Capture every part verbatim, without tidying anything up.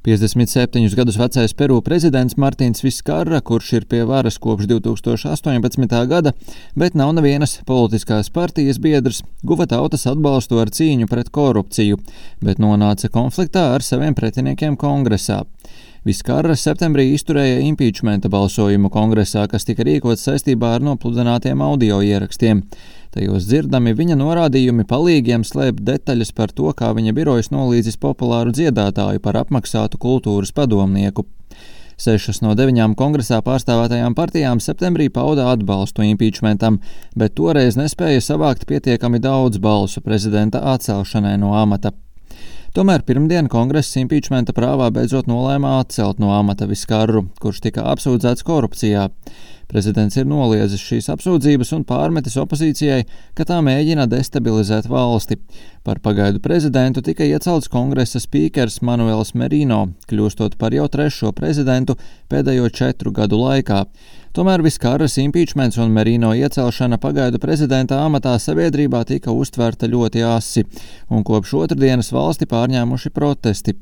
piecdesmit septiņus gadus vecais Peru prezidents Martins Viskarra, kurš ir pie varas kopš divi tūkstoši astoņpadsmitā gada, bet nav nevienas politiskās partijas biedrs, guva tautas atbalstu ar cīņu pret korupciju, bet nonāca konfliktā ar saviem pretiniekiem kongresā. Viskarra septembrī izturēja impeachmenta balsojumu kongresā, kas tika rīkots saistībā ar nopludinātiem audio ierakstiem. Tajos dzirdami viņa norādījumi palīgiem slēpt detaļas par to, kā viņa birojas nolīdzis populāru dziedātāju par apmaksātu kultūras padomnieku. Sešas no deviņām kongresā pārstāvētajām partijām septembrī pauda atbalstu impeachmentam, bet toreiz nespēja savākt pietiekami daudz balsu prezidenta atcelšanai no amata. Tomēr pirmdien kongress impeachmenta prāvā beidzot nolēma atcelt no amata Viskarru, kurš tika apsūdzēts korupcijā. Prezidents ir noliedzis šīs apsūdzības un pārmetis opozīcijai, ka tā mēģina destabilizēt valsti. Par pagaidu prezidentu tika iecelts kongresa spīkers Manuels Merino, kļūstot par jau trešo prezidentu pēdējo četru gadu laikā. Tomēr Viskarras impeachments un Merino iecelšana pagaidu prezidenta amatā sabiedrībā tika uztverta ļoti asi, un kopš otrdienas valsti pārņēmuši protesti.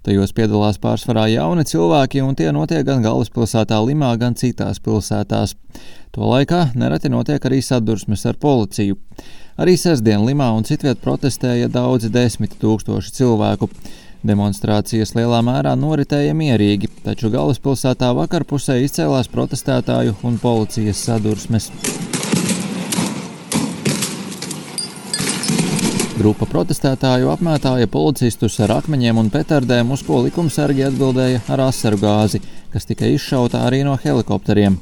Tajos piedalās pārsvarā jauni cilvēki, un tie notiek gan galvaspilsētā Limā, gan citās pilsētās. To laikā nereti notiek arī sadursmes ar policiju. Arī sestdien Limā un citviet protestēja daudzi desmit tūkstoši cilvēku. Demonstrācijas lielā mērā noritēja mierīgi, taču galvaspilsētā vakarpusē izcēlās protestētāju un policijas sadursmes. Grupa protestētāju apmētāja policistus ar akmeņiem un petardēm, uz ko likumsargi atbildēja ar asaru gāzi, kas tika izšauta arī no helikopteriem.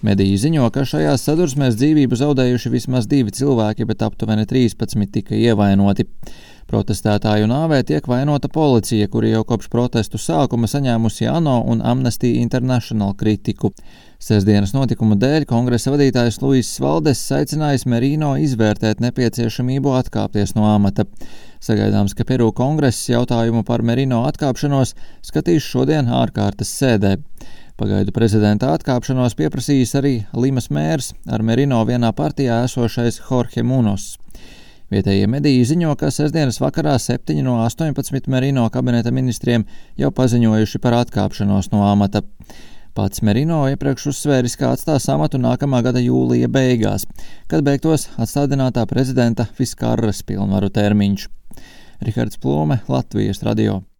Mediji ziņo, ka šajās sadursmēs dzīvību zaudējuši vismaz divi cilvēki, bet aptuveni trīspadsmit tika ievainoti. Protestētāju nāvē tiek vainota policija, kuri jau kopš protestu sākuma saņēmusi ANO un Amnesty International kritiku. Sestdienas notikumu dēļ kongresa vadītājs Luis Valdes aicinājis Merino izvērtēt nepieciešamību atkāpties no amata. Sagaidāms, ka Peru kongress jautājumu par Merino atkāpšanos skatīs šodien ārkārtas sēdē. Pagaidu prezidenta atkāpšanos pieprasījis arī Limas mērs, ar Merino vienā partijā esošais Jorge Munos. Vietējie mediji ziņo, ka sestdienas vakarā septiņi no astoņpadsmit Merino kabineta ministriem jau paziņojuši par atkāpšanos no amata. Pats Merino iepriekš uzsvēris, ka atstās amatu nākamā gada jūlija beigās, kad beigtos atstādinātā prezidenta Viskarras pilnvaru termiņš. Rihards Plome, Latvijas radio.